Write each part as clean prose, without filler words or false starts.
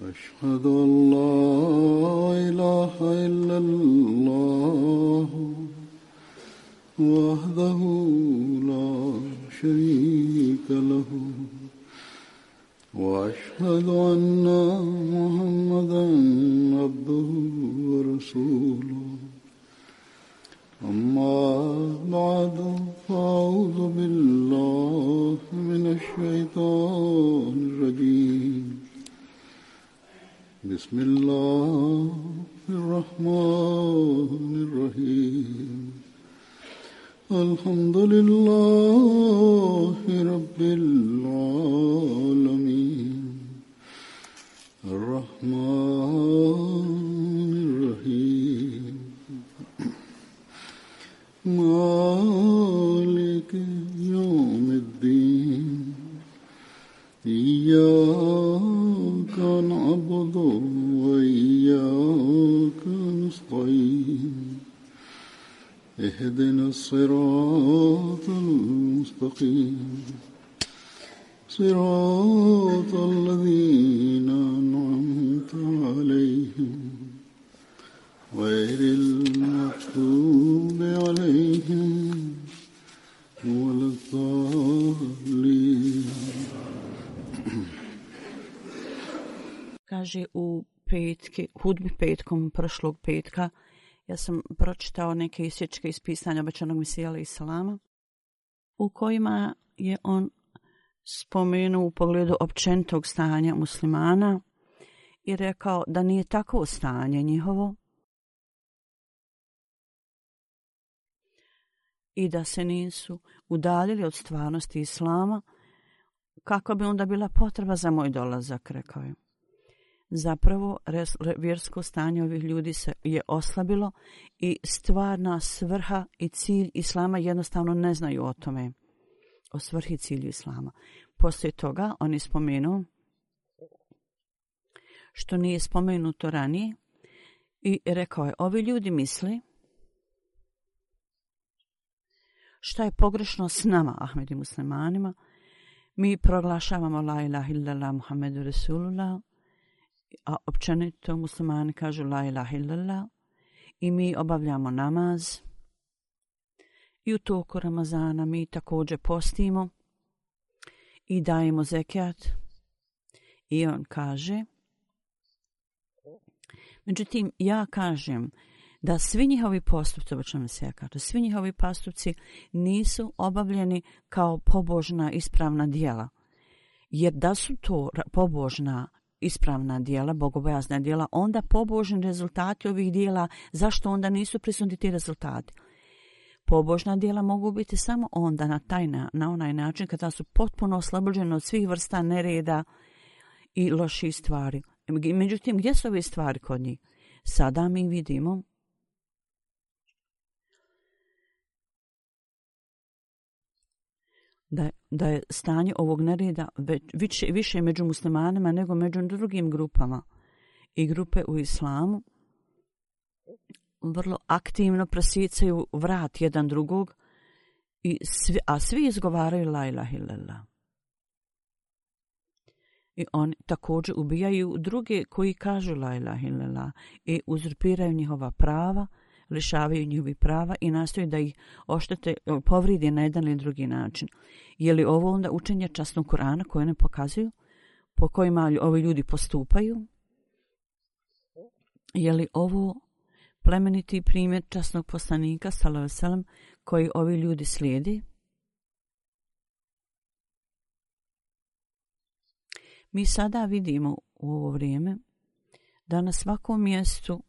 أشهد أن لا إله إلا الله وحده لا شريك له وأشهد أن محمدا عبده ورسوله أما بعد فأعوذ بالله من الشيطان الرجيم بسم الله الرحمن الرحيم الحمد لله رب العالمين الرحمن الرحيم مالك يوم الدين إياك نعبد وإياك نستعين اهدنا الصراط المستقيم صراط الذين أنعمت عليهم غير المغضوب عليهم ولا الضالين. Kaže u hudbi petkom prošlog petka, ja sam pročitao neke isječke iz pisanja obećanog Mesija alejhi selama, u kojima je on spomenuo u pogledu općenitog stanja muslimana i rekao da nije takvo stanje njihovo i da se nisu udaljili od stvarnosti islama, kako bi onda bila potreba za moj dolazak, rekao je. Zapravo, vjersko stanje ovih ljudi se je oslabilo i stvarna svrha i cilj islama jednostavno ne znaju o tome, o svrhi i cilju islama. Poslije toga on je spomenuo što nije spomenuto ranije i rekao je, ovi ljudi misli šta je pogrešno s nama, Ahmedi muslimanima. Mi proglašavamo la ilaha illallah Muhammedu Rasulullah, a općenito muslimani kažu la ilaha illallah i mi obavljamo namaz i u toku Ramazana mi također postimo i dajemo zekijat. I on kaže, međutim ja kažem da svi njihovi postupci, svi njihovi postupci nisu obavljeni kao pobožna ispravna djela. Jer da su to pobožna ispravna djela, bogobojazna djela, onda pobožni rezultati ovih djela, zašto onda nisu prisutni ti rezultati? Pobožna djela mogu biti samo onda na onaj način kada su potpuno oslobođene od svih vrsta nereda i loših stvari. Međutim, gdje su ove stvari kod njih? Sada mi vidimo da je stanje ovog nereda više među muslimanima nego među drugim grupama. I grupe u islamu vrlo aktivno presicaju vrat jedan drugog, a svi izgovaraju la ilaha illallah. I oni također ubijaju druge koji kažu la ilaha illallah i uzurpiraju njihova prava, lišavaju njihovi prava i nastoje da ih oštete, povride na jedan ili drugi način. Je li ovo onda učenje časnog Kur'ana koje ne pokazuju, po kojima ovi ljudi postupaju? Je li ovo plemeniti primjer časnog poslanika sallallahu alejhi ve sellem koji ovi ljudi slijedi? Mi sada vidimo u ovo vrijeme da na svakom mjestu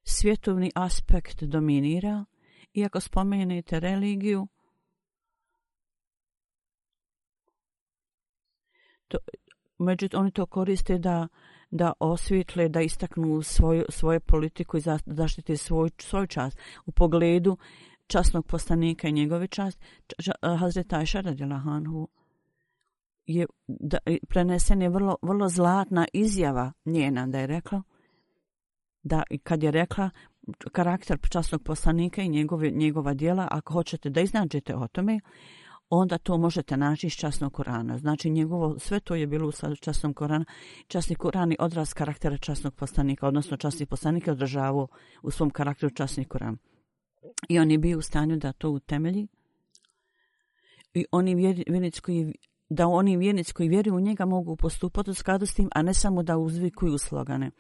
svjetovni aspekt dominira, i ako spomenete religiju, međutim oni to koriste da osvijetle, da istaknu svoju politiku i zaštite svoj čast. U pogledu časnog poslanika i njegove čast, Hazreti Ajša radijallahu anhu prenesen je vrlo zlatna izjava njena, da je rekla da kad je rekla karakter časnog poslanika i njegova djela, ako hoćete da iznađete o tome, onda to možete naći iz časnog Kurana. Znači njegovo, sve to je bilo u skladu časnog Kurana. Časni Kuran je odraz karaktera časnog poslanika, odnosno časni poslanik je održavao u svom karakteru časni Kuran. I on je bio u stanju da to utemelji. I oni vjernici koji vjeruju u njega mogu postupati u skladu s tim, a ne samo da uzvikuju slogane.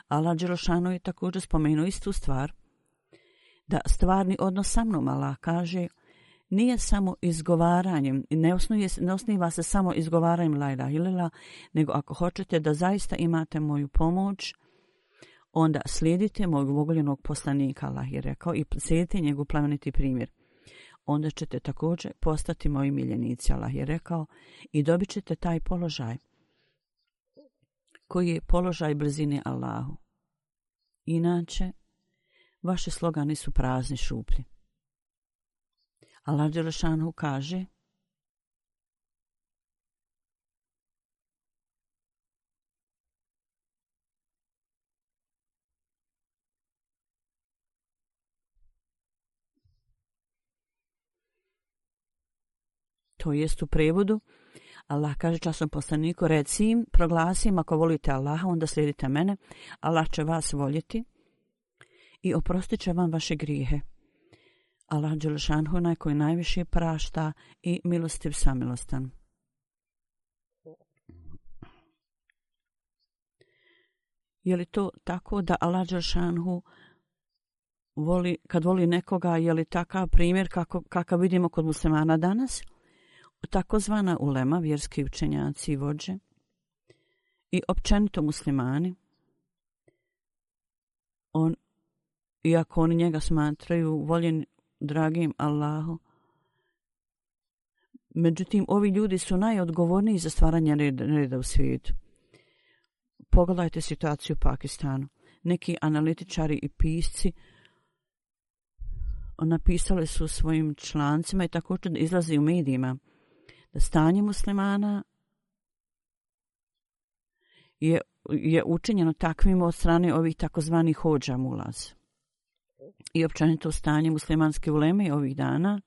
Allah Đelešanu je također spomenuo istu stvar, da stvarni odnos sa mnom, Allah kaže, nije samo izgovaranjem, ne osniva se samo izgovaranjem la ilaha illallah, nego ako hoćete da zaista imate moju pomoć, onda slijedite mojeg voljenog poslanika, Allah je rekao, i slijedite njegov plemeniti primjer. Onda ćete također postati moji miljenici, Allah je rekao, i dobit ćete taj položaj koji je položaj blizine Allahu. Inače, vaši slogani su prazni, šuplji. Allah Đelešanu kaže, to jest u prevodu, Allah kaže časnom poslaniku, reci im, proglasi im, ako volite Allaha, onda slijedite mene, Allah će vas voljeti i oprostit će vam vaše grijehe. Allah Đelešanhu, onaj koji najviše prašta i milostiv samilostan. Je li to tako da Allah Đelešanhu kad voli nekoga, je li takav primjer kakav vidimo kod muslimana danas? Takozvana ulema, vjerski učenjaci i vođe i općenito muslimani, iako oni njega smatraju voljen dragim Allahu, međutim ovi ljudi su najodgovorniji za stvaranje reda u svijetu. Pogledajte situaciju u Pakistanu. Neki analitičari i pisci napisali su svojim člancima i također izlazi u medijima da stanje muslimana je učinjeno takvim od strane ovih takozvanih hođa mulaz. I općenito stanje muslimanske uleme ovih dana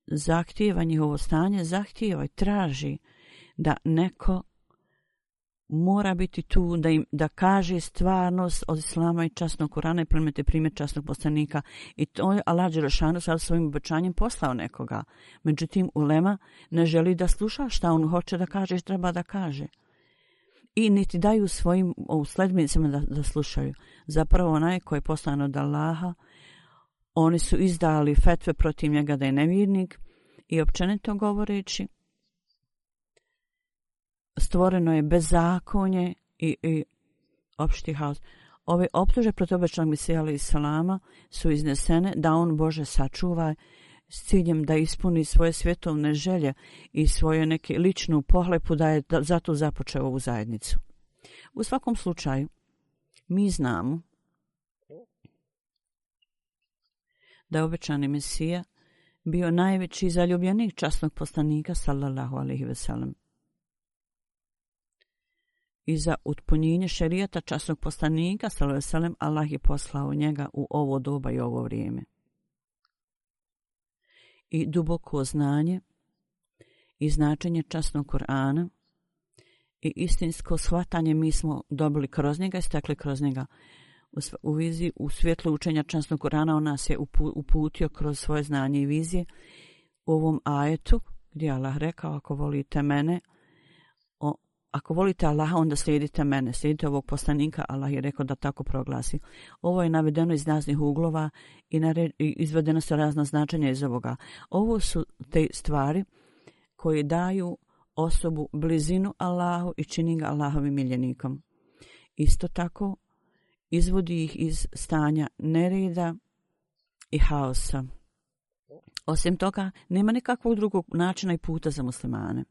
zahtijeva njihovo stanje, zahtijeva i traži da neko mora biti tu da kaže stvarnost od islama i časnog Kurana i plemete primjer časnog poslanika. I to je Allah Đelešanu sad svojim obećanjem poslao nekoga. Međutim, ulema ne želi da sluša šta on hoće da kaže i treba da kaže. I niti daju svojim sledbenicima da slušaju. Zapravo onaj koji je poslan od Allaha, oni su izdali fetve protiv njega da je nevjernik i općenito govoreći stvoreno je bezakonje i opšti haos. Ove optuže protiv obećanog Mesija alejhi salama su iznesene da on Bože sačuva s ciljem da ispuni svoje svjetovne želje i svoju neke ličnu pohlepu da je zato započeo ovu zajednicu. U svakom slučaju, mi znamo da je obećani Mesija bio najveći zaljubljenik časnog poslanika sallallahu alejhi ve sellem. I za utpunjenje šerijata časnog poslanika sallallahu alejhi ve sellem Allah je poslao njega u ovo doba i ovo vrijeme. I duboko znanje i značenje časnog Kur'ana i istinsko shvatanje mi smo dobili kroz njega i stekli kroz njega. U viziji, u svjetlu učenja časnog Kur'ana on nas je uputio kroz svoje znanje i vizije u ovom ajetu gdje Allah rekao ako volite mene, ako volite Allaha, onda slijedite mene, slijedite ovog poslanika, Allah je rekao da tako proglasi. Ovo je navedeno iz raznih uglova i izvedeno su razna značenja iz ovoga. Ovo su te stvari koje daju osobu blizinu Allahu i čini ga Allahovim miljenikom. Isto tako izvodi ih iz stanja nereda i haosa. Osim toga, nema nikakvog drugog načina i puta za muslimane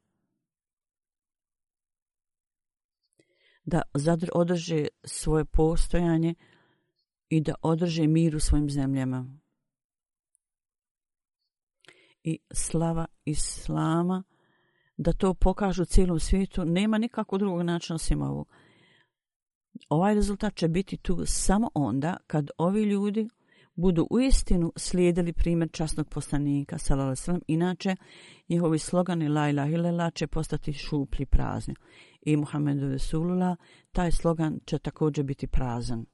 da održe svoje postojanje i da održe mir u svojim zemljama. I slava Islama, da to pokažu cijelom svijetu, nema nikakvog drugog načina osim ovog. Ovaj rezultat će biti tu samo onda kad ovi ljudi budu uistinu slijedili primjer časnog poslanika sallallahu alejhi ve sellem, inače njihovi slogani la ilaha illallah će postati šuplji, prazni. I Muhammedu Resulullah, taj slogan će također biti prazan.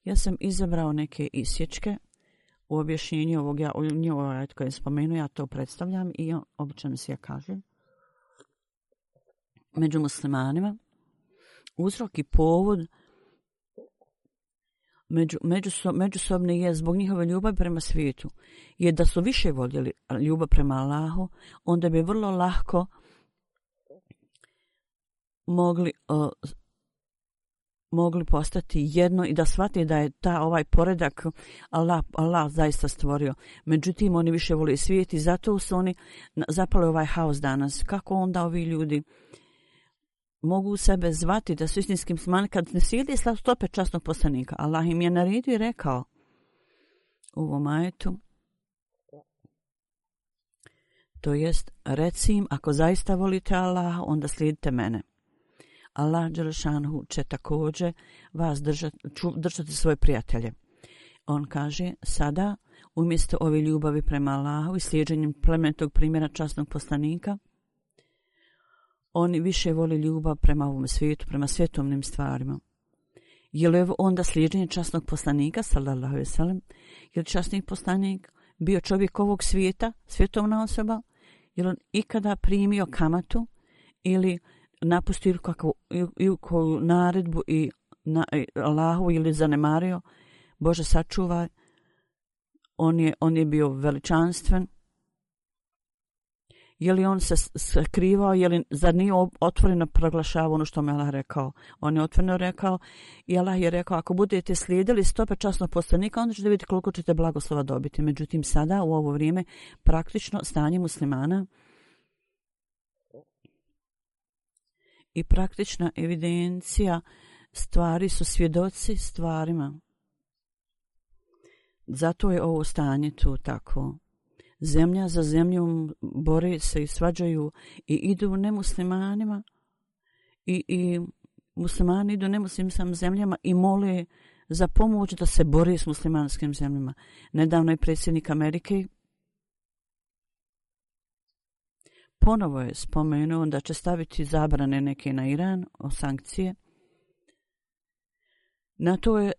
Ja sam izabrao neke isječke u objašnjenju ovog ajet koji je spomenuo, ja to predstavljam i obično se ja kažem. Među muslimanima uzrok i povod međusobni je zbog njihove ljubavi prema svijetu. Jer da su više voljeli ljubav prema Allahu, onda bi vrlo lahko mogli postati jedno i da shvate da je ovaj poredak Allah zaista stvorio. Međutim, oni više vole svijet i zato su oni zapali ovaj haos danas. Kako onda ovi ljudi mogu sebe zvati da su istinski muslimani kad ne slijede stope časnog poslanika? Allah im je naredio i rekao u ovom ajetu, to jest, reci im, ako zaista volite Allaha, onda slijedite mene. Allah dželešanhu će također vas držati svoje prijatelje. On kaže, sada, umjesto ove ljubavi prema Allahu i slijeđenjem plemenitog primjera časnog poslanika, oni više vole ljubav prema ovom svijetu, prema svjetovnim stvarima. Je li onda slijeđenje časnog poslanika, sallallahu alejhi ve sellem, je li časni poslanik bio čovjek ovog svijeta, svjetovna osoba, je li on ikada primio kamatu ili napustio koju naredbu i Allahu ili zanemario? Bože sačuvaj, on je bio veličanstven. Je li on se skrivao, zar nije otvoreno proglašavao ono što mu Allah rekao? On je otvoreno rekao i Allah je rekao, ako budete slijedili stope časnog poslanika, onda ćete vidjeti koliko ćete blagoslova dobiti. Međutim, sada u ovo vrijeme praktično stanje muslimana i praktična evidencija stvari su svjedoci stvarima. Zato je ovo stanje tu tako. Zemlja za zemljom bore se i svađaju i idu nemuslimanima i muslimani idu nemuslimskim zemljama i mole za pomoć da se bore s muslimanskim zemljama. Nedavno je predsjednik Amerike ponovo je spomenuo da će staviti zabrane neke na Iran, o sankcije. Na to je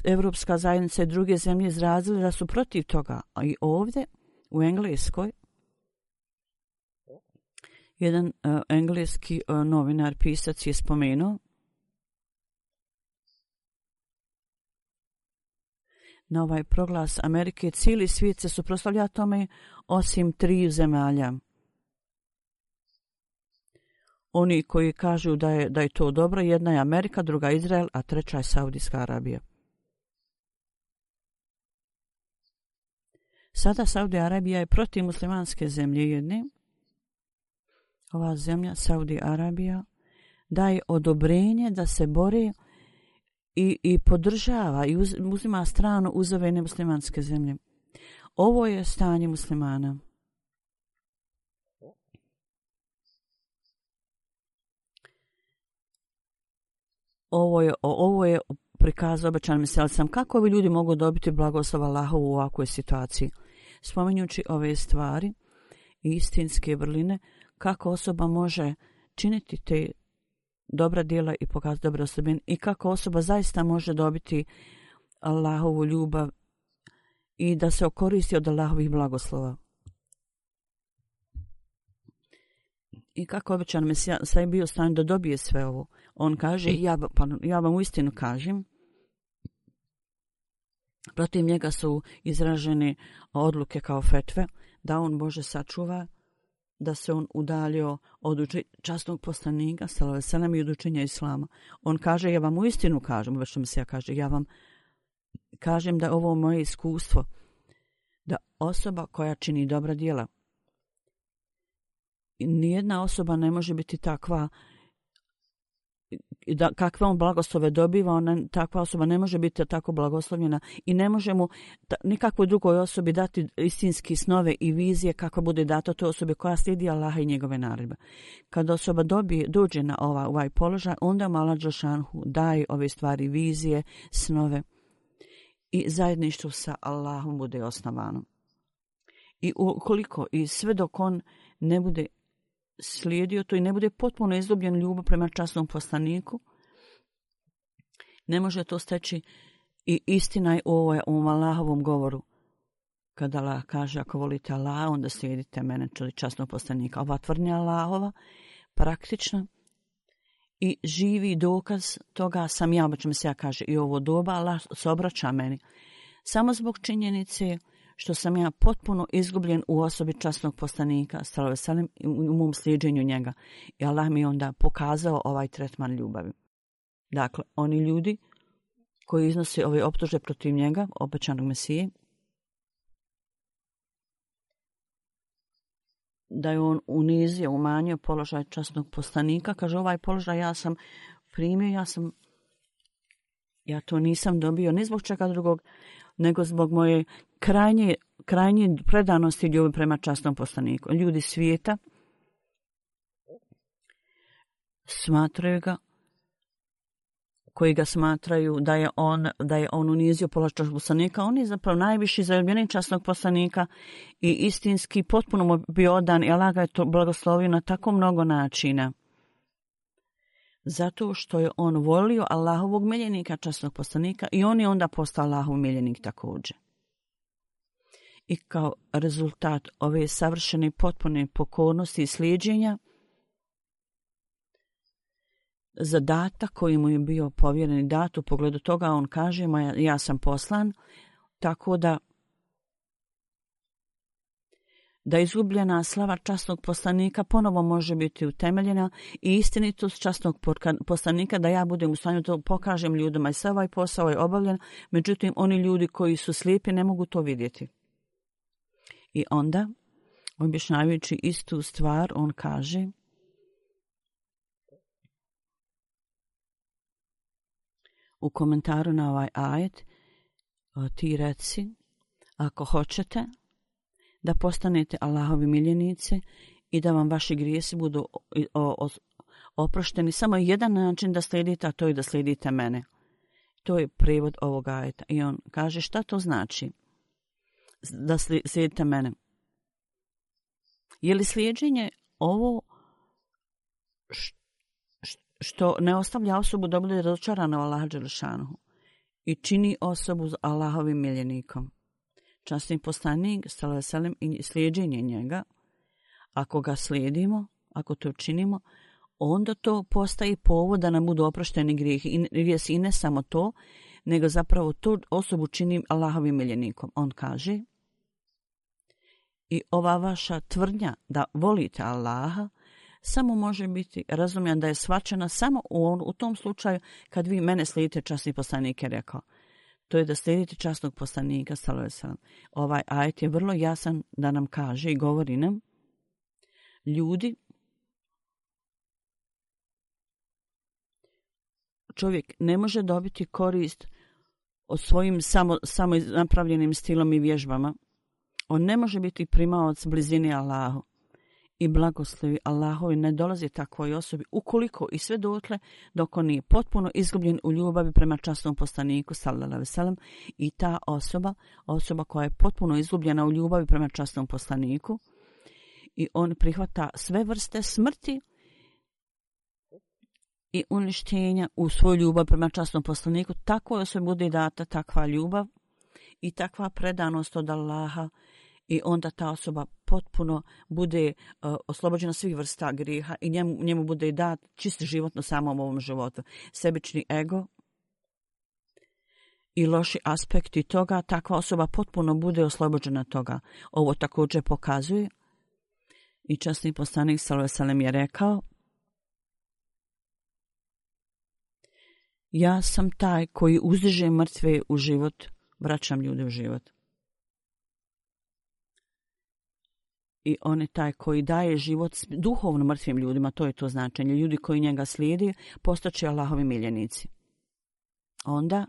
Evropska zajednica i druge zemlje izrazili da su protiv toga. A i ovdje u Engleskoj jedan engleski novinar, pisac je spomenuo na ovaj proglas Amerike cijeli svijet se suprotstavlja tome osim 3 zemalja. Oni koji kažu da je to dobro, jedna je Amerika, druga Izrael, a treća je Saudijska Arabija. Sada Saudija Arabija je protiv muslimanske zemlje jedne. Ova zemlja, Saudija Arabija, daje odobrenje da se bore i podržava i uzima stranu uz ove nemuslimanske zemlje. Ovo je stanje muslimana. Ovo je prikaz obećan mesijom. Kako ovi ljudi mogu dobiti blagoslov Allaha u ovakvoj situaciji? Spominjući ove stvari i istinske vrline, kako osoba može činiti te dobra djela i pokazati dobre osobine i kako osoba zaista može dobiti Allahovu ljubav i da se okoristi od Allahovih blagoslova. I kako obećan Mesija sve bio stan da dobije sve ovo. On kaže, ja vam uistinu kažem, protiv njega su izražene odluke kao fetve, da on Bože sačuva, da se on udaljio od časnog poslanika, sallallahu alejhi ve sellem, i od učenja islama. On kaže, ja vam uistinu kažem, obećan Mesija kaže, ja vam kažem da ovo moje iskustvo, da osoba koja čini dobra djela, nijedna osoba ne može biti takva da kakve on blagoslove dobiva, takva osoba ne može biti tako blagoslovljena i ne može mu nikakvoj drugoj osobi dati istinski snove i vizije kako bude dato toj osobi koja slijedi Allaha i njegove naredbe. Kad osoba dođe na ovaj položaj, onda mu Allah dželešanu daje ove stvari, vizije, snove. i zajedništvo sa Allahom bude osnovano. I ukoliko i sve dok on ne bude slijedio to i ne bude potpuno izgubljen ljubav prema časnom poslaniku, ne može to steći. I istina je u ovom Allahovom govoru. Kada Allah kaže ako volite Allah, onda slijedite mene, čuli časnog poslanika. Ova tvrdnja Allahova praktična i živi dokaz toga sam ja, obično se ja kaže i ovo doba Allah se obraća meni. Samo zbog činjenice što sam ja potpuno izgubljen u osobi časnog poslanika, sallallahu alejhi ve sellem, u mom slijeđenju njega. I Allah mi je onda pokazao ovaj tretman ljubavi. Dakle, oni ljudi koji iznose ove optužbe protiv njega, obećanog Mesije, da je on unizio, umanjio položaj časnog poslanika. Kaže, ovaj položaj ja sam primio, ja to nisam dobio ni zbog čega drugog, nego zbog moje krajnje predanosti ljubavi prema časnom poslaniku. Ljudi svijeta smatraju ga, koji ga smatraju da je on unizio položaj časnog poslanika, on je zapravo najviši zaljubljenik časnog poslanika i istinski potpuno mu bio odan i Allah ga je to blagoslovio na tako mnogo načina. Zato što je on volio Allahovog miljenika, časnog poslanika, i on je onda postao Allahov miljenik također. I kao rezultat ove savršene potpune pokornosti i slijeđenja, zadatak koji mu je bio povjeren i dat u pogledu toga, on kaže, ja sam poslan, tako da izgubljena slava časnog poslanika ponovo može biti utemeljena i istinitost časnog poslanika, da ja budem u stanju to pokažem ljudima i sve ovaj posao je obavljen, međutim oni ljudi koji su slijepi ne mogu to vidjeti. I onda, objašnjavajući istu stvar, on kaže, u komentaru na ovaj ajet, ti reci, ako hoćete da postanete Allahovi miljenici i da vam vaši grijesi budu oprošteni, samo jedan način da slijedite, a to je da slijedite mene. To je prevod ovog ajeta. I on kaže, šta to znači da slijedite mene? Je li slijeđenje ovo što ne ostavlja osobu da bude razočarana u Allaha dželešanuhu i čini osobu Allahovim miljenikom? Časni poslanik, sallallahu alejhi ve sellem, i slijeđenje njega, ako ga slijedimo, ako to činimo, onda to postaje povod da nam budu oprošteni grijesi. I ne samo to, nego zapravo tu osobu čini Allahovim miljenikom. On kaže, i ova vaša tvrdnja da volite Allaha samo može biti razumljena, da je shvaćena samo u tom slučaju kad vi mene slijedite, časni poslanik je rekao. To je da slijedite časnog poslanika, sallallahu alejhi ve sellem. Ovaj ajet je vrlo jasan da nam kaže i govori nam, ljudi, čovjek ne može dobiti korist od svojim samo napravljenim stilom i vježbama. On ne može biti primaoc blizini Allahu i blagoslovi Allahovi ne dolazi takvoj osobi ukoliko i sve dotle dok on nije potpuno izgubljen u ljubavi prema časnom poslaniku, sallallahu alejhi ve sellem, i ta osoba koja je potpuno izgubljena u ljubavi prema časnom poslaniku i on prihvata sve vrste smrti i uništenja u svoju ljubav prema časnom poslaniku, takvoj osobi bude data takva ljubav i takva predanost od Allaha, i onda ta osoba potpuno bude oslobođena svih vrsta grijeha i njemu bude dat čist život na samom ovom životu. Sebični ego i loši aspekti toga, takva osoba potpuno bude oslobođena toga. Ovo također pokazuje i časni poslanik sallallahu alejhi ve sellem je rekao, ja sam taj koji uzdiže mrtve u život, vraćam ljude u život. I on je taj koji daje život duhovno mrtvim ljudima, to je to značenje. Ljudi koji njega slijedi postaće Allahovi miljenici. Onda,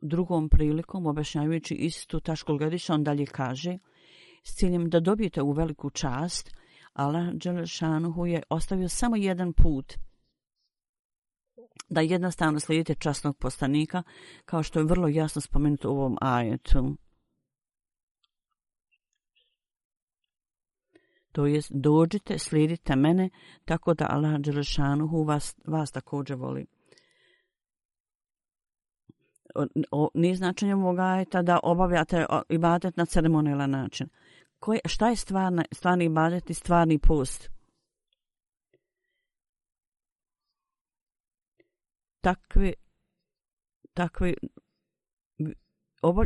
drugom prilikom, objašnjavajući istu tačku gledišta, on dalje kaže, s ciljem da dobijete u veliku čast, Allah dželešanuhu je ostavio samo jedan put da jednostavno slijedite časnog poslanika, kao što je vrlo jasno spomenuto u ovom ajetu. To jest, dođite, slijedite mene, tako da Allah dželešanuhu vas također voli. Nije značenje ovog ajeta da obavljate ibadet na ceremonijalan način. Šta je stvarni ibadet i stvarni post? Takvi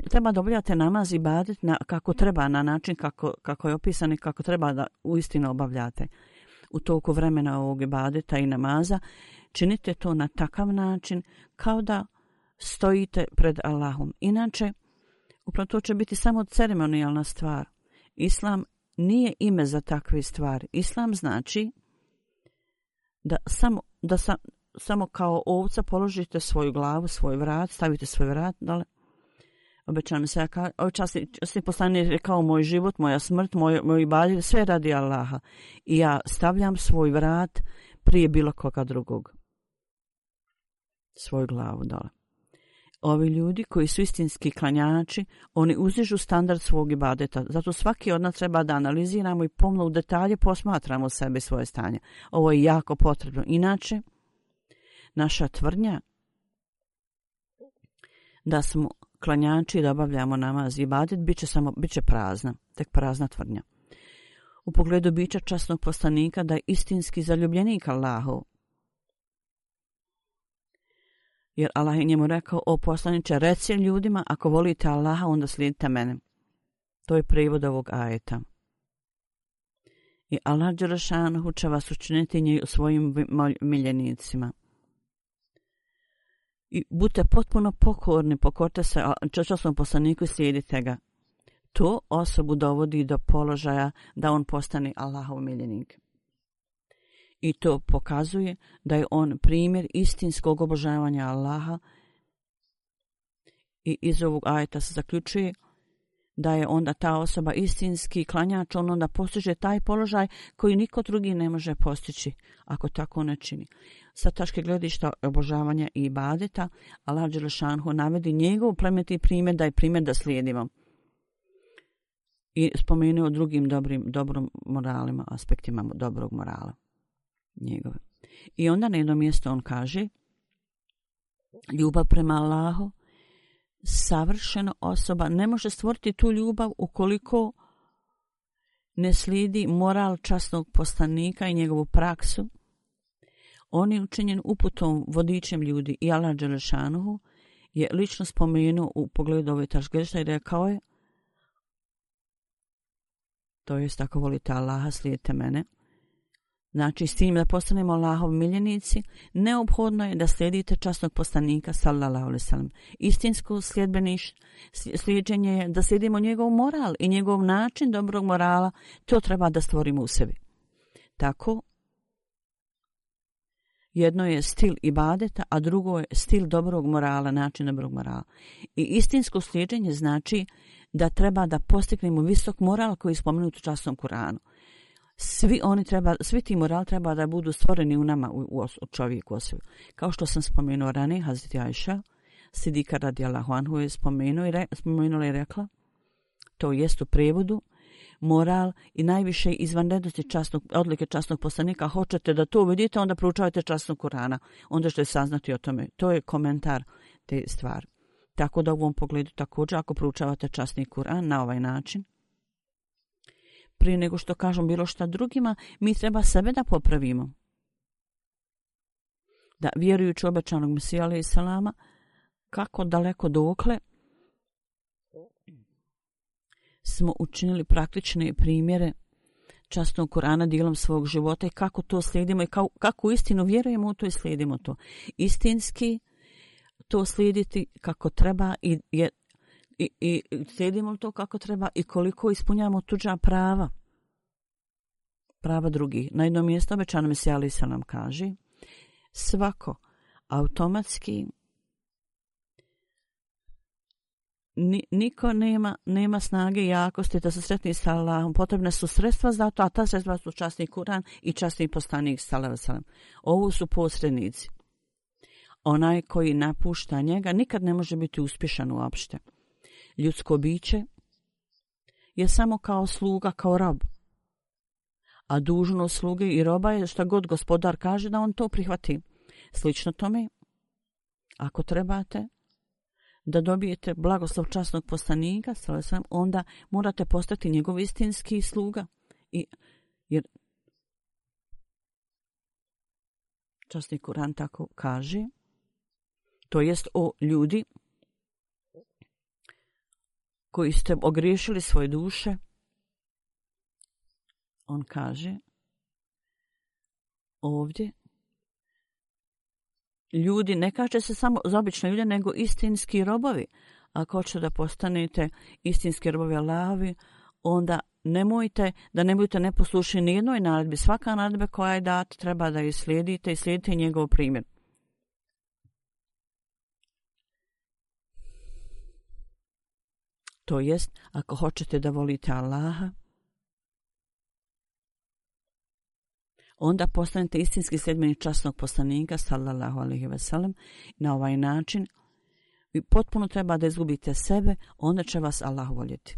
treba da obavljate namaz i ibadet kako treba, na način kako je opisan i kako treba da uistinu obavljate. U toku vremena ovog ibadeta i namaza činite to na takav način kao da stojite pred Allahom. Inače, upravo to će biti samo ceremonijalna stvar. Islam nije ime za takve stvari. Islam znači da samo kao ovca položite svoju glavu, svoj vrat, stavite svoj vrat dole. Obećam se, časni poslanik je rekao, moj život, moja smrt, moj ibadet, sve radi Allaha. I ja stavljam svoj vrat prije bilo koga drugog. Svoju glavu dole. Ovi ljudi koji su istinski klanjači, oni uzižu standard svog ibadeta. Zato svaki od nas treba da analiziramo i pomno u detalje posmatramo sebe i svoje stanje. Ovo je jako potrebno. Inače, naša tvrdnja da smo klanjači i da obavljamo namaz i ibadet bit će prazna, tek prazna tvrdnja. U pogledu bića časnog poslanika da je istinski zaljubljenik Allahov. Jer Allah je njemu rekao, o poslaniče, reci ljudima, ako volite Allaha, onda slijedite mene. To je prijevod ovog ajeta. I Allah dželešanuhu će vas učiniti svojim miljenicima. I budite potpuno pokorni, pokorite se časnom poslaniku i slijedite ga. To osobu dovodi do položaja da on postane Allahov miljenik. I to pokazuje da je on primjer istinskog obožavanja Allaha. I iz ovog ajeta se zaključuje da je onda ta osoba istinski klanjač, on onda postiže taj položaj koji niko drugi ne može postići ako tako ne čini. Sa tačke gledišta obožavanja i ibadeta, Allah dželešanuhu navodi njegov plemeniti primjer da je primjer da slijedimo. I spomenuo drugim dobrom moralima, aspektima dobrog morala njegove. I onda na jednom mjestu on kaže, ljubav prema Allahu, savršena osoba ne može stvoriti tu ljubav ukoliko ne slijedi moral časnog poslanika i njegovu praksu. On je učinjen uputom, vodičem ljudi i Allah dželešanuhu je lično spomenuo u pogledu ove tačke i rekao je, to jest ako volite Allaha, slijedite mene. Znači, s tim da postanemo Allahov miljenici, neophodno je da slijedite časnog poslanika, sallallahu alejhi ve sellem. Istinsko slijeđenje je da slijedimo njegov moral i njegov način dobrog morala, to treba da stvorimo u sebi. Tako, jedno je stil ibadeta, a drugo je stil dobrog morala, način dobrog morala. I istinsko slijeđenje znači da treba da postignemo visok moral koji je spomenut u časnom Kuranu. Svi ti moral treba da budu stvoreni u nama, u čovjeku osobi. Kao što sam spomenuo ranije, Hazreti Ajša, Sidika radijallahu anhu je spomenula i rekla, to jest u prevodu, moral i najviše izvanrednosti odlike časnog poslanika, hoćete da to uvidite, onda proučavajte časnog Kurana, onda ćete saznati o tome. To je komentar te stvari. Tako da u ovom pogledu također, ako proučavate časni Kuran na ovaj način, prije nego što kažem bilo šta drugima, mi treba sebe da popravimo. Da vjerujući obećanog Mesija alejhi selama, kako daleko dokle smo učinili praktične primjere časnog Kurana dijelom svog života i kako to slijedimo i kako istinu vjerujemo u to i slijedimo to. Istinski to slijediti kako treba i slijedimo to kako treba i koliko ispunjamo tuđa prava drugih. Na jednom mjestu obećano Mesija alejhi selam kaže, svako automatski niko nema snage i jakosti da se sretni sa Allahom. Potrebne su sredstva za to, a ta sredstva su časni Kuran i časni poslanik sallallahu alejhi ve sellem. Ovo su posrednici. onaj koji napušta njega nikad ne može biti uspješan uopšte. Ljudsko biće je samo kao sluga, kao rob. A dužnost sluge i roba je šta god gospodar kaže da on to prihvati. Slično tome, ako trebate da dobijete blagoslov časnog poslanika, onda morate postati njegov istinski sluga. Jer časni Kuran tako kaže, to jest o ljudi koji ste ogriješili svoje duše, on kaže ovdje, ljudi, ne kaže se samo za obične ljude, nego istinski robovi. Ako hoćete da postanete istinski robovi Allahovi, onda nemojte da ne budete neposlušni ni jednoj naredbi. Svaka naredba koja je data treba da je slijedite i slijedite njegov primjer. To jest, ako hoćete da volite Allaha, onda postanete istinski sljedbenik časnog poslanika, sallallahu alejhi ve sellem. Na ovaj način vi potpuno treba da izgubite sebe, onda će vas Allah voljeti.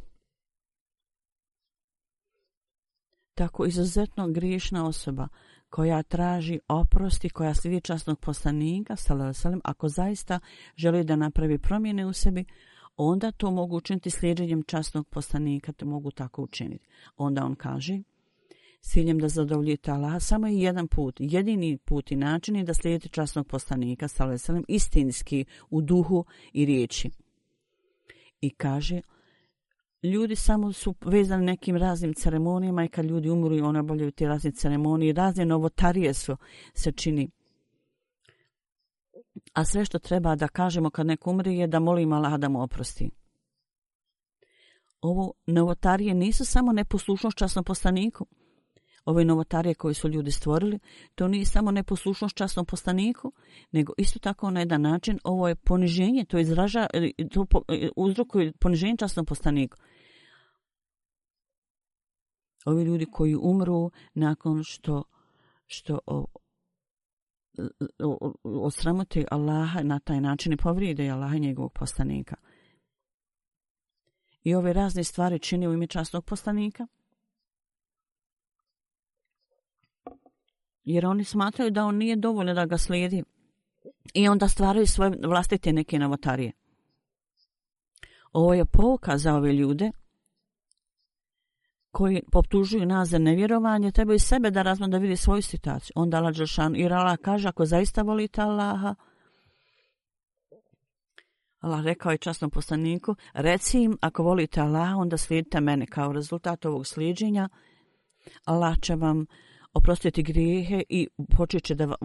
Tako izuzetno griješna osoba koja traži oprosti, koja slijedi časnog poslanika, sallallahu alejhi ve sellem, ako zaista želi da napravi promjene u sebi, onda to mogu učiniti slijedjenjem časnog poslanika, to mogu tako učiniti. Onda on kaže, s ciljem da zadovoljite Allaha, samo je jedan put, jedini put i način je da slijedite časnog poslanika, sallallahu alejhi ve sellem, istinski u duhu i riječi. I kaže, ljudi samo su vezani nekim raznim ceremonijama i kad ljudi umru i one obavljaju te razne ceremonije, razne novotarije se čini. A sve što treba da kažemo kad neko umre je da molimo Allaha da mu oprosti. Ovo novotarije nisu samo neposlušnost časnom poslaniku. Ove novotarije koje su ljudi stvorili, to nije samo neposlušnost časnom poslaniku, nego isto tako na jedan način ovo je poniženje, to uzrokuje poniženje časnom poslaniku. Ovi ljudi koji umru nakon što osramote Allaha na taj način i povrijede Allaha i njegovog poslanika. I ove razne stvari čini u ime časnog poslanika, jer oni smatraju da on nije dovoljno da ga slijedi i onda stvaraju svoje vlastite neke novotarije. Ovo je pouka za ove ljude koji optužuju nas za nevjerovanje, trebaju sebe da razmiju da vidi svoju situaciju. Onda Allah dželešanu, jer Allah kaže, ako zaista volite Allaha, Allah rekao je časnom poslaniku, reci im, ako volite Allaha, onda slijedite mene. Kao rezultat ovog slijeđenja, Allah će vam oprostiti grijehe i počet će da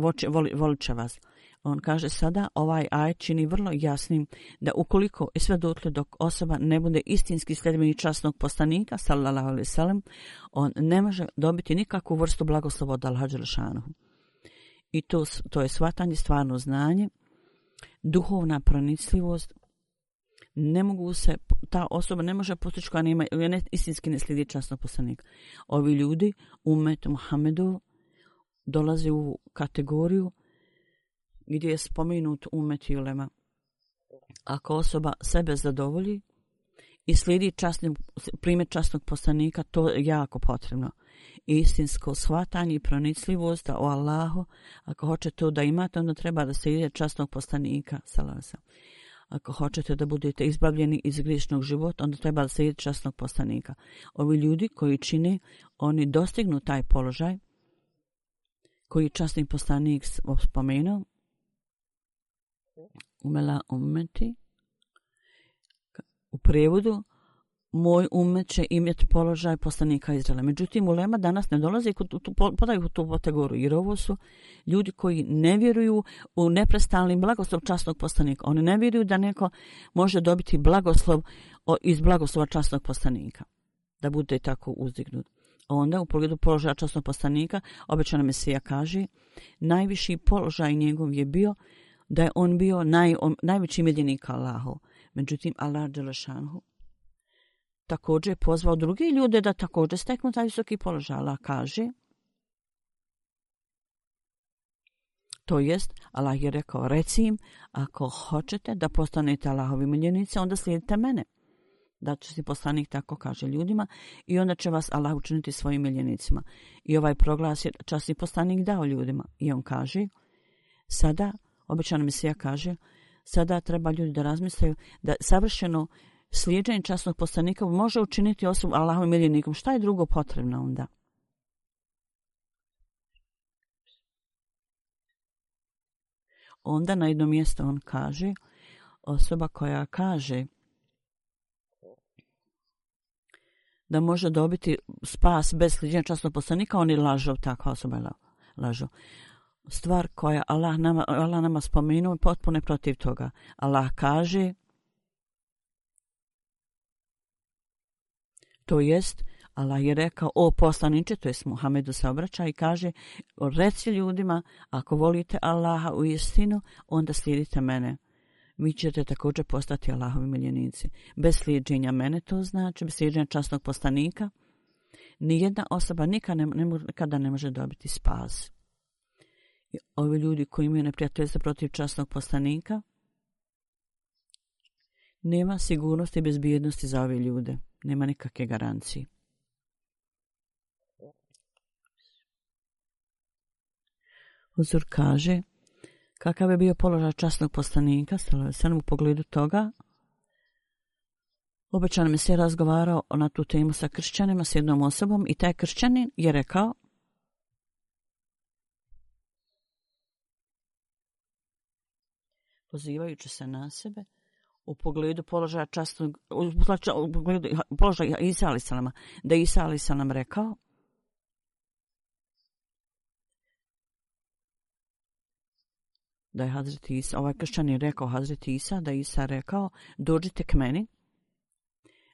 volit će vas. On kaže sada, ovaj ajet čini vrlo jasnim da ukoliko i sve dotle dok osoba ne bude istinski sljedbenik časnog poslanika, sallallahu alejhi ve sellem, on ne može dobiti nikakvu vrstu blagoslova od Allaha dželešanu. I to je shvatanje, stvarno znanje, duhovna pronicljivost. Ta osoba ne može postići koja nema istinski ne slijedi časnog poslanika. Ovi ljudi, umet Muhammedu, dolaze u kategoriju gdje je spomenut umet i ulema. Ako osoba sebe zadovolji i slijedi primjer časnog poslanika, to je jako potrebno. Istinsko shvatanje i pronicljivost o Allahu, ako hoćete to da imate, onda treba da slijedi časnog poslanika, sallallahu alejhi ve sellem. Ako hoćete da budete izbavljeni iz griješnog života, onda treba da slijedite časnog poslanika. Ovi ljudi koji čine, oni dostignu taj položaj koji časni poslanik spomenuo. Umela ummeti. U prijevodu, moj ummet će imati položaj poslanika Izraela. Međutim, ulema danas ne dolazi podaju tu kategoriju, jer ovo su ljudi koji ne vjeruju u neprestalni blagoslov časnog poslanika. Oni ne vjeruju da neko može dobiti blagoslov iz blagoslova časnog poslanika, da bude tako uzdignut. Onda u pogledu položaja časnog poslanika, obećana Mesija kaže, najviši položaj njegov je bio da je on bio najveći miljenik Allahov. Međutim, Allah dželešanu također pozvao drugi ljude da također steknu taj visoki položaj. Allah kaže, To jest, Allah je rekao, reci im, ako hoćete da postanete Allahovi miljenici, onda slijedite mene. Da će si poslanik tako kaže ljudima i onda će vas Allah učiniti svojim miljenicima. I ovaj proglas je časni poslanik dao ljudima. I on kaže, sada, obećani Mesija kaže, sada treba ljudi da razmislaju da savršeno slijeđenje časnog poslanika može učiniti osobu Allahovim miljenikom. Šta je drugo potrebno onda? Onda na jedno mjesto on kaže, osoba koja kaže da može dobiti spas bez slijeđenja časnog poslanika, on je lažov, takva osoba je lažov. Stvar koja Allah nama spomenuo je potpuno protiv toga. Allah kaže, to jest, Allah je rekao, o poslaniče, to jest Muhammedu se obraća i kaže, reci ljudima, ako volite Allaha u istinu, onda slijedite mene. Vi ćete također postati Allahovi miljenici. Bez slijedženja mene, to znači, bez slijedženja časnog poslanika, nijedna osoba nikada ne može dobiti spas. I ovi ljudi koji imaju neprijateljstvo protiv časnog poslanika, nema sigurnosti i bezbjednosti za ove ljude. Nema nikakve garancije. Huzur kaže, kakav je bio položaj časnog poslanika, u pogledu toga, obećan mi se razgovarao na tu temu sa kršćanima, s jednom osobom i taj kršćanin je rekao, pozivajući se na sebe, u pogledu položaja časnog, u pogledu položaja Isa alejhi selama, da Isa alejhi selam rekao, da je Hazreti Isa, ovaj kršćan je rekao Hazreti Isa, da je Isa rekao, dođite k meni,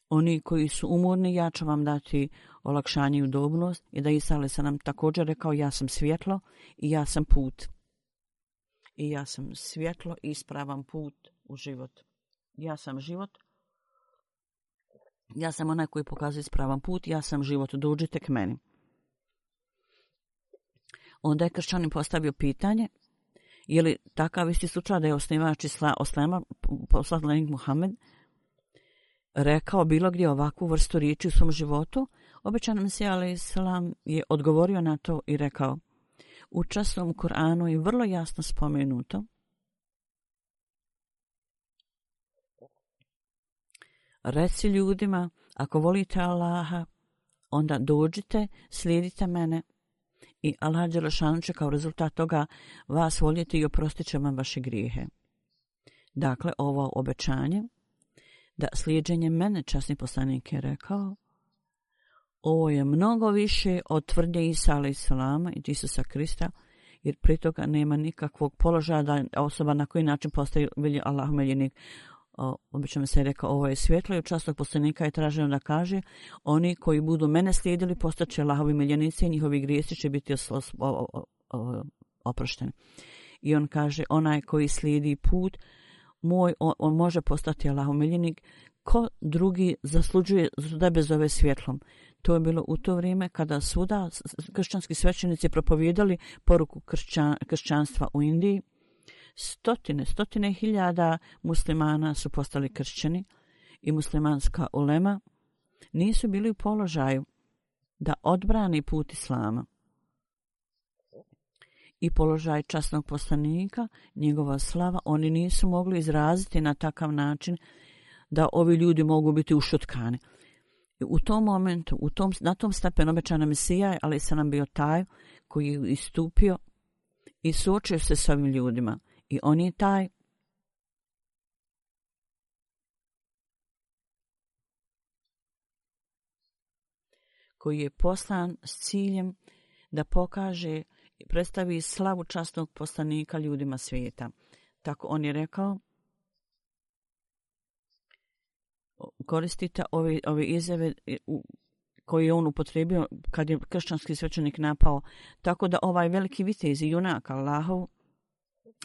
oni koji su umorni, ja ću vam dati olakšanje i udobnost, i da Isa alejhi selam također rekao, ja sam svjetlo i ja sam put. I ja sam svjetlo i ispravan put u život. Ja sam život. Ja sam onaj koji pokazuje ispravan put. Ja sam život. Dođite k meni. Onda je kršćanin postavio pitanje, je li takav isti slučaj da je osnivač Islama, poslanik Muhammed, rekao bilo gdje ovakvu vrstu riječi u svom životu? Obećan Mesija alejhi selam je odgovorio na to i rekao, u časnom Kur'anu je vrlo jasno spomenuto reci ljudima, ako volite Allaha, onda dođite, slijedite mene i Allah dželešanu će kao rezultat toga vas voljeti i oprostit će vam vaše grijehe. Dakle, ovo obećanje da slijeđenje mene, časni poslanik je rekao, ovo je mnogo više od tvrdnje Isa alejhi selama i Isusa Krista, jer pri toga nema nikakvog položaja da osoba na koji način postaje Allahov miljenik. Obično se je rekao, ovo je svjetlo i od časnog poslanika je traženo da kaže, oni koji budu mene slijedili postaće Allahovi miljenici i njihovi grijesi će biti oprošteni. I on kaže, onaj koji slijedi put moj, on može postati Allahov miljenik, ko drugi zaslužuje da bez ove svjetlom. To je bilo u to vrijeme kada svuda kršćanski svećenici propovijedali poruku kršćanstva u Indiji. Stotine hiljada muslimana su postali kršćani i muslimanska ulema nisu bili u položaju da odbrani put Islama. I položaj časnog poslanika, njegova slava, oni nisu mogli izraziti na takav način da ovi ljudi mogu biti ušutkani. U tom momentu, na tom stepenu obećana Mesija, ali sam nam bio taj koji je istupio i suočio se s ovim ljudima. I on je taj koji je poslan s ciljem da pokaže i predstavi slavu časnog poslanika ljudima svijeta. Tako on je rekao, koristite ove izjave koje je on upotrijebio kad je kršćanski svećenik napao, tako da ovaj veliki vitez i junak Allahov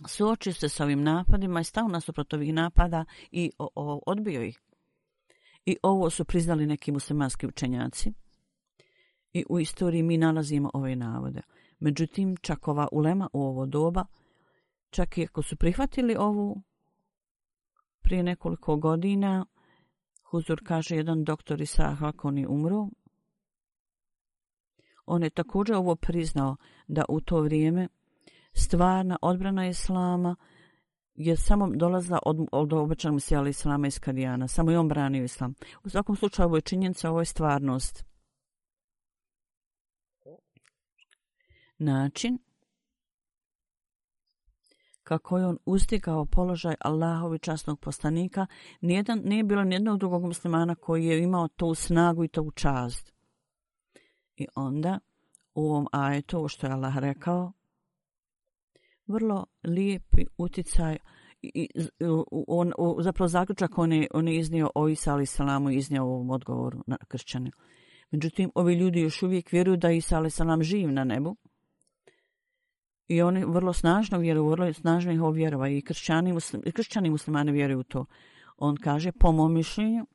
suočio se s ovim napadima i stao nasuprot ovih napada i odbio ih. I ovo su priznali neki muslimanski učenjaci. I u istoriji mi nalazimo ove navode. Međutim, čak ova ulema u ovo doba, čak i ako su prihvatili ovu prije nekoliko godina, Huzur kaže jedan doktor Isa Hakon je umro. On je također ovo priznao da u to vrijeme stvarna odbrana Islama je samo dolazila od obećanog Mesija Islama iz Kadijana. Samo je on branio Islam. U svakom slučaju ovo je činjenica, ovo je stvarnost. Način kako je on ustigao položaj Allahovi časnog poslanika, nije bilo nijednog drugog muslimana koji je imao tu snagu i tu čast. I onda u ovom ajetu, što je Allah rekao, vrlo lijepi uticaj, zapravo zaključak on je iznio o Isa alejhi selam i iznio u ovom odgovoru na kršćane. Međutim, ovi ljudi još uvijek vjeruju da Isa alejhi selam živ na nebu. I oni vrlo snažno vjeruju, vrlo snažno ih vjerova i kršćani muslimani vjeruju u to. On kaže, po mom mišljenju,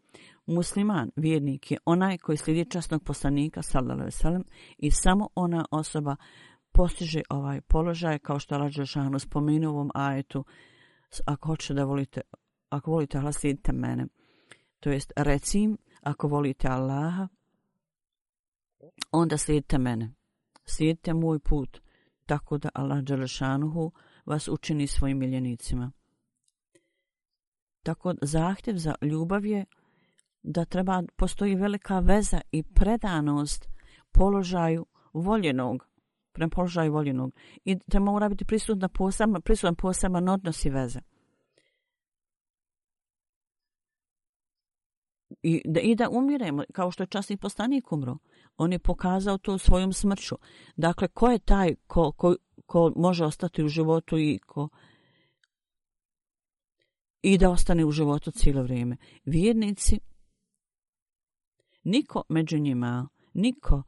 musliman, vjernik je onaj koji slijedi časnog poslanika, sallallahu alejhi ve sellem, i samo ona osoba postiže ovaj položaj, kao što je Allah dželešanu spomenuo u ovom ajetu, ako hoćete da volite, ako volite Allah, slijedite mene. To jest, reci im, ako volite Allaha, onda slijedite mene. Slijedite moj put. Tako da Allah dželešanuhu vas učini svojim miljenicima. Tako zahtjev za ljubav je da postoji velika veza i predanost položaju voljenog, prema položaju voljenog. I da mora biti prisutan poseban odnos i veze. I da umiremo, kao što je časni poslanik umro. On je pokazao to svojom smrću. Dakle, ko je taj ko može ostati u životu i da ostane u životu cijelo vrijeme? Vjernici, niko među njima, niko,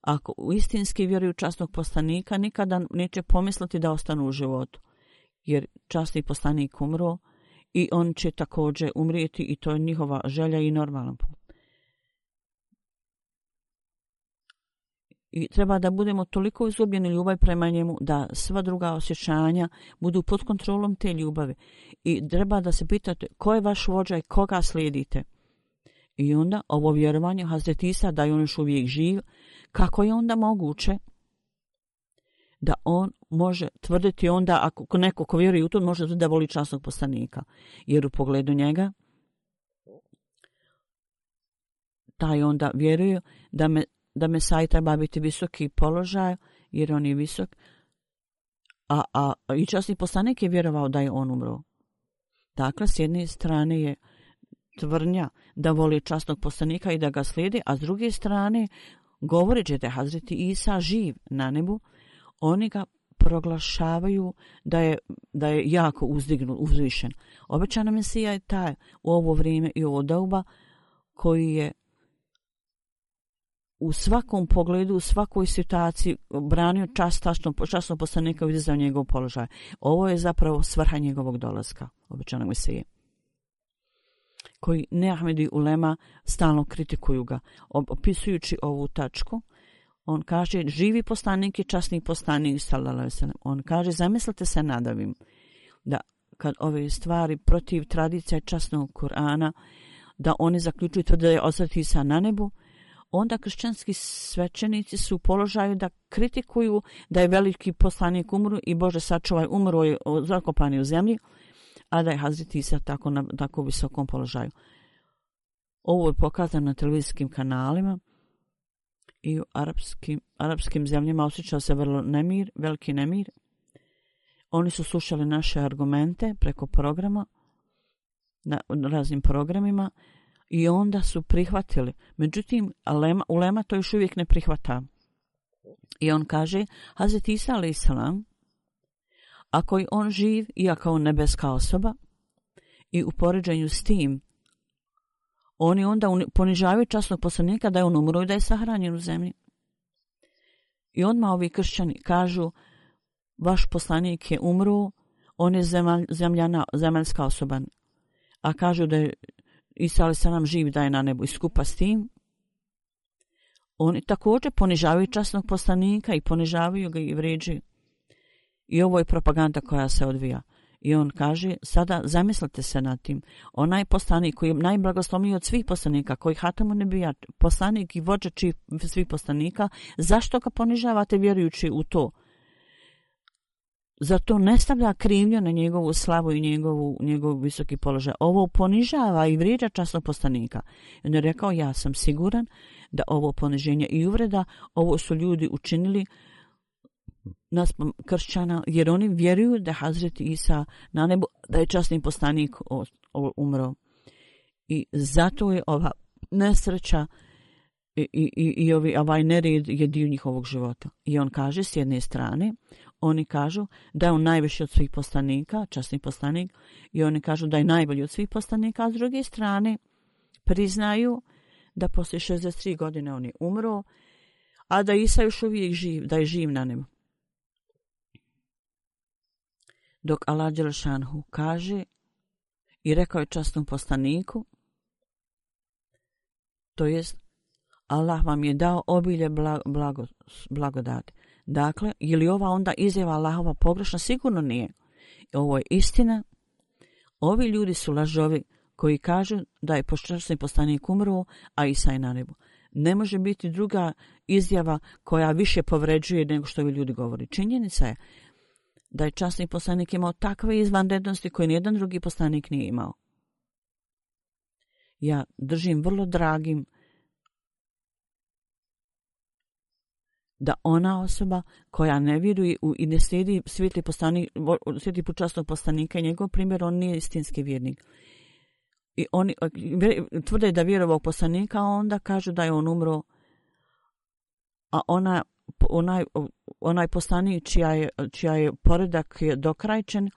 ako istinski vjeruju časnog poslanika, nikada neće pomisliti da ostanu u životu. Jer časni poslanik umro i on će također umrijeti i to je njihova želja i normalan put. I treba da budemo toliko izgubljeni ljubav prema njemu da sva druga osjećanja budu pod kontrolom te ljubavi. I treba da se pitate ko je vaš vođa i koga slijedite. I onda ovo vjerovanje Hazreti Isa da je on još uvijek živ, kako je onda moguće da on može tvrditi onda, ako neko ko vjeruje u to, može da voli časnog poslanika. Jer u pogledu taj onda vjeruje da Mesaj treba biti visoki položaj, jer on je visok, a i časni poslanik je vjerovao da je on umro. Dakle, s jedne strane je tvrdnja da voli časnog poslanika i da ga slijedi, a s druge strane, govoreći da je Hazreti Isa živ na nebu, oni ga proglašavaju da je jako uzvišen. Obećana Mesija je taj u ovo vrijeme i ovo doba koji je u svakom pogledu, u svakoj situaciji branio časnog poslanika i izdizao njegov položaj. Ovo je zapravo svrha njegovog dolaska, obećanog Mesije, koji Ahmedi ulema stalno kritikuju ga. Opisujući ovu tačku, on kaže, živi poslanik je časni poslanik, sallallahu alejhi ve sellem. On kaže, zamislite se nad ovim, da kad ove stvari protiv tradicija časnog Kur'ana, da oni zaključuju da je Hazreti Isa na nebu, onda kršćanski svećenici su u položaju da kritikuju da je veliki poslanik umro i Bože sačuvaj, umro je zakopan u zemlji, a da je Hazreti Isa na tako visokom položaju. Ovo je pokazano na televizijskim kanalima i u arapskim zemljama osjećao se veliki nemir. Oni su slušali naše argumente preko programa, na raznim programima, i onda su prihvatili. Međutim, ulema to još uvijek ne prihvata. I on kaže, Hazreti Isa alejhi selam, ako je on živ i ako on nebeska osoba, i u poređenju s tim, oni onda ponižavaju časnog poslanika da je on umro i da je sahranjen u zemlji. I odmah ovi kršćani kažu, vaš poslanik je umro, on je zemaljska osoba. A kažu da je Isa alejhi selam živ, da je na nebu, i skupa s tim oni također ponižavaju časnog poslanika i ponižavaju ga i vređaju. I ovo je propaganda koja se odvija. I on kaže, sada zamislite se nad tim. Onaj poslanik koji je najblagoslovniji od svih poslanika, koji Hatamu Nebija, poslanik i vođa svih poslanika, zašto ga ponižavate vjerujući u to? Zato ne stavlja krivnju na njegovu slavu i njegov visoki položaj. Ovo ponižava i vrijeđa časnog poslanika. On je rekao, ja sam siguran da ovo poniženje i uvreda, ovo su ljudi učinili naspram kršćana, jer oni vjeruju da Hazreti Isa na nebu, da je časni poslanik umro. I zato je ova nesreća i ovaj nered je dio njihovog života. I on kaže, s jedne strane, oni kažu da je on najviši od svih poslanika, časni poslanik, i oni kažu da je najbolji od svih poslanika, a s druge strane priznaju da poslije 63 godine on je umro, a da Isa još uvijek živ, da je živ na nebu. Dok Allah Đelešanhu kaže i rekao je časnom poslaniku, to jest Allah vam je dao obilje blagodati. Dakle, je li ova onda izjava Allahova pogrešna? Sigurno nije. Ovo je istina. Ovi ljudi su lažovi koji kažu da je časni poslanik umro, a Isa je na nebu. Ne može biti druga izjava koja više povređuje nego što ovi ljudi govori. Činjenica je da je časni poslanik imao takve izvanrednosti koje nijedan drugi poslanik nije imao. Ja držim vrlo dragim da ona osoba koja ne vjeruje i ne slijedi svijetli put časnog poslanika i njegov primjer, on nije istinski vjernik. I oni tvrde da vjeruje ovog poslanika, a onda kažu da je on umro, a onaj poslanik čija je poredak je dokrajčen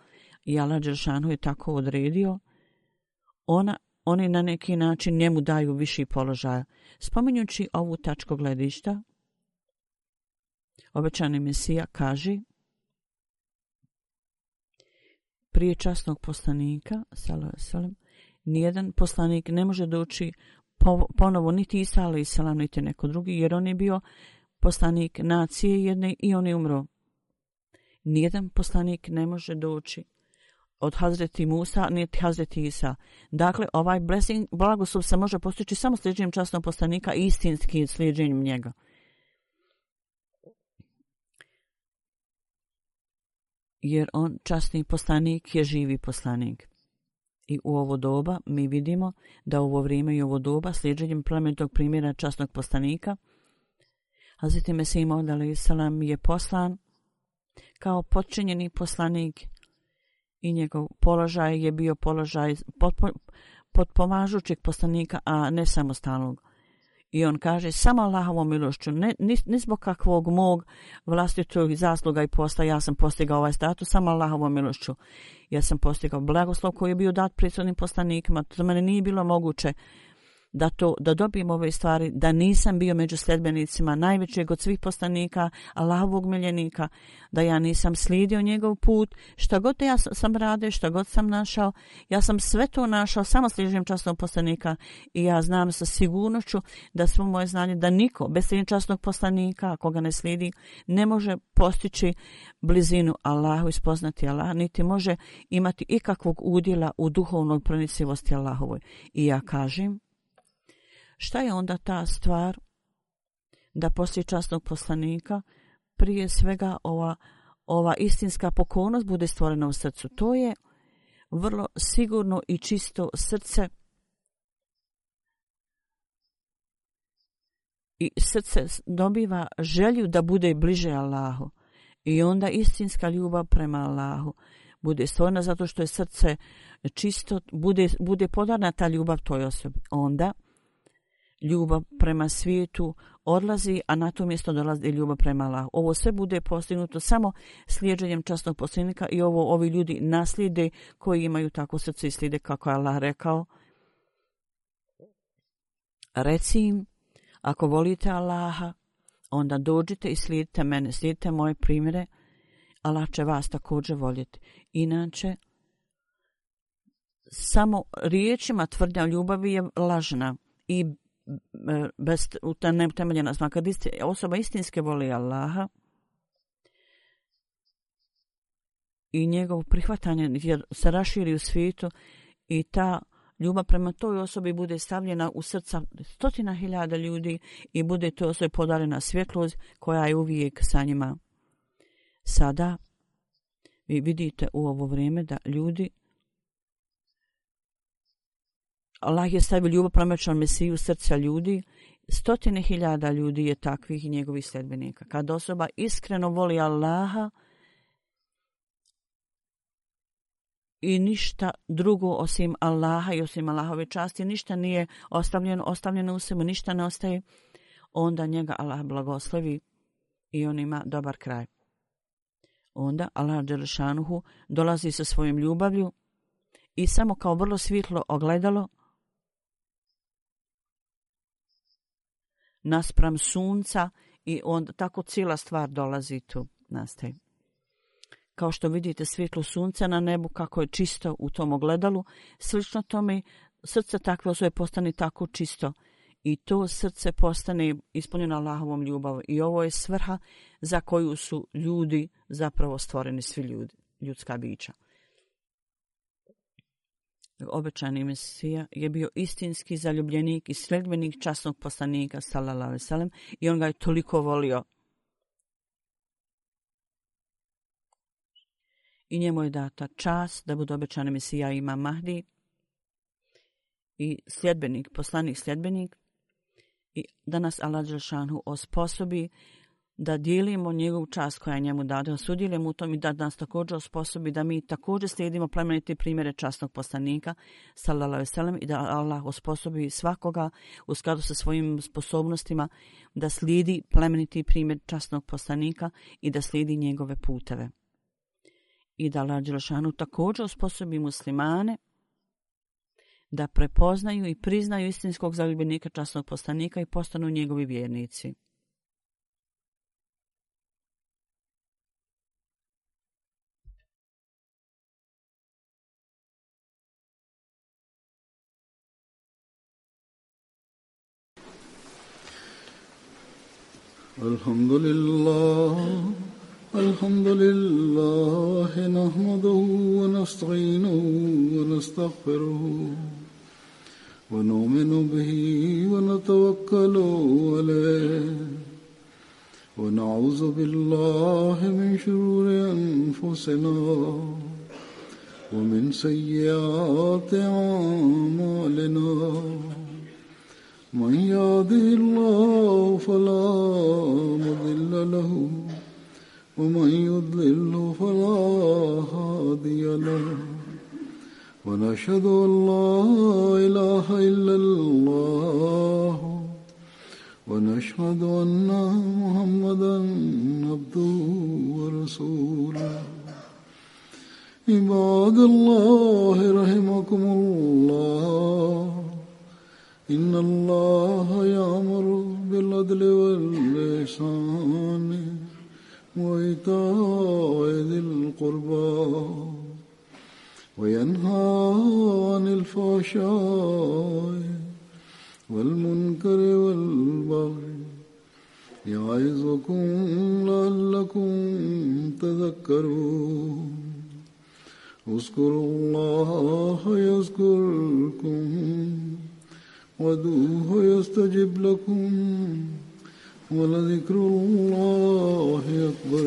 i Allah Đelešanu je tako odredio, oni na neki način njemu daju viši položaj. Spominjući ovu tačku gledišta, obećani Mesija kaže, prije časnog poslanika, nijedan poslanik ne može doći ponovo niti Isa a.s. niti neko drugi, jer on je bio poslanik nacije jedne i on je umro. Nijedan poslanik ne može doći od Hazreti Musa niti Hazreti Isa. Dakle, ovaj blagoslov se može postići samo slijeđenjem časnog poslanika i istinski slijeđenjem njega. Jer on, časni poslanik, je živi poslanik. I u ovo doba mi vidimo da u ovo vrijeme i ovo doba slijeđenjem plemenitog primjera časnog poslanika Hazreti Mesih Maud a.s. je poslan kao potčinjeni poslanik i njegov položaj je bio položaj potpomažućeg poslanika, a ne samostalnog. I on kaže, samo Allahovom milošću, ne zbog kakvog mog vlastitog zasluga i posla, ja sam postigao ovaj status, samo Allahovom milošću. Ja sam postigao blagoslov koji je bio dat prethodnim poslanikima, za mene nije bilo moguće da dobijem ove stvari, da nisam bio među sljedbenicima najvećeg od svih poslanika, Allahovog miljenika, da ja nisam slijedio njegov put, šta god ja sam radio, šta god sam našao, ja sam sve to našao samo slijeđenjem časnog poslanika i ja znam sa sigurnošću da svo moje znanje, da niko bez slijeđenja časnog poslanika, ako ga ne slijedi, ne može postići blizinu Allahu i spoznati Allah, niti može imati ikakvog udjela u duhovnoj pronicivosti Allahovoj. I ja kažem, šta je onda ta stvar da poslije časnog poslanika prije svega ova istinska pokornost bude stvorena u srcu? To je vrlo sigurno i čisto srce i srce dobiva želju da bude bliže Allahu i onda istinska ljubav prema Allahu bude stvorena zato što je srce čisto, bude podarna ta ljubav toj osobi. Onda ljubav prema svijetu odlazi, a na to mjesto dolazi ljubav prema Allahu. Ovo sve bude postignuto samo slijeđenjem časnog poslanika i ovi ljudi naslijede koji imaju tako srce i slijede kako je Allah rekao. Reci im, ako volite Allaha, onda dođite i slijedite mene, slijedite moje primjere, Allah će vas također voljeti. Inače, samo riječima tvrdnja ljubavi je lažna i bez neutemeljena. Kad osoba istinske voli Allaha, i njegovo prihvatanje jer se raširi u svijetu i ta ljubav prema toj osobi bude stavljena u srca 100.000 ljudi i bude toj osobi podarena svjetlost koja je uvijek sa njima. Sada vi vidite u ovo vrijeme da ljudi, Allah je stavio ljubav prema Mesiju u srca ljudi, 100.000 ljudi je takvih i njegovih sljedbenika. Kad osoba iskreno voli Allaha i ništa drugo osim Allaha i osim Allahove časti, ništa nije ostavljeno u sebi, ništa ne ostaje, onda njega Allah blagoslovi i on ima dobar kraj. Onda Allah dželešanuhu dolazi sa svojom ljubavlju i samo kao vrlo svjetlo ogledalo naspram sunca i onda tako cijela stvar dolazi tu, nastaje. Kao što vidite svjetlo sunca na nebu kako je čisto u tom ogledalu, slično tome srce takve osobe postane tako čisto i to srce postane ispunjeno Allahovom ljubavom. I ovo je svrha za koju su ljudi zapravo stvoreni, svi ljudi, ljudska bića. Obećani Mesija je bio istinski zaljubljenik i sledbenik časnog poslanika sallallahu alejhi ve sellem i on ga je toliko volio. I njemu je data čast da bude obećani Mesija Imam Mahdi i sljedbenik, poslanik sljedbenik, i da nas Allah dželešanu osposobi da dijelimo njegovu čast koja je njemu dana, da sudjelujemo u tom i da nas također osposobi da mi također slijedimo plemenite primjere časnog poslanika sallallahu alejhi ve sellem i da Allah osposobi svakoga u skladu sa svojim sposobnostima da slijedi plemeniti primjer časnog poslanika i da slijedi njegove puteve. I da Allah dželešanu također osposobi muslimane da prepoznaju i priznaju istinskog zaljubljenika časnog poslanika i postanu njegovi vjernici. Alhamdulillah nahmaduhu wa nasta'inuhu wa nastaghfiruhu wa nu'minu bihi wa natawakkalu alayhi wa na'udhu billahi min shururi anfusina wa min sayyiati a'malina. من يهده الله فلا مضل له ومن يضلل فلا هادي له ونشهد أن لا إله إلا الله ونشهد أن محمدا عبده ورسوله. عباد الله رحمكم الله إن الله يأمر بالعدل والإحسان وإيتاء ذي القربى وينهى عن الفحشاء والمنكر والبغي يعظكم لعلكم تذكرون. اذكروا الله يذكركم وادعوه يستجب لكم ولذكر الله أكبر.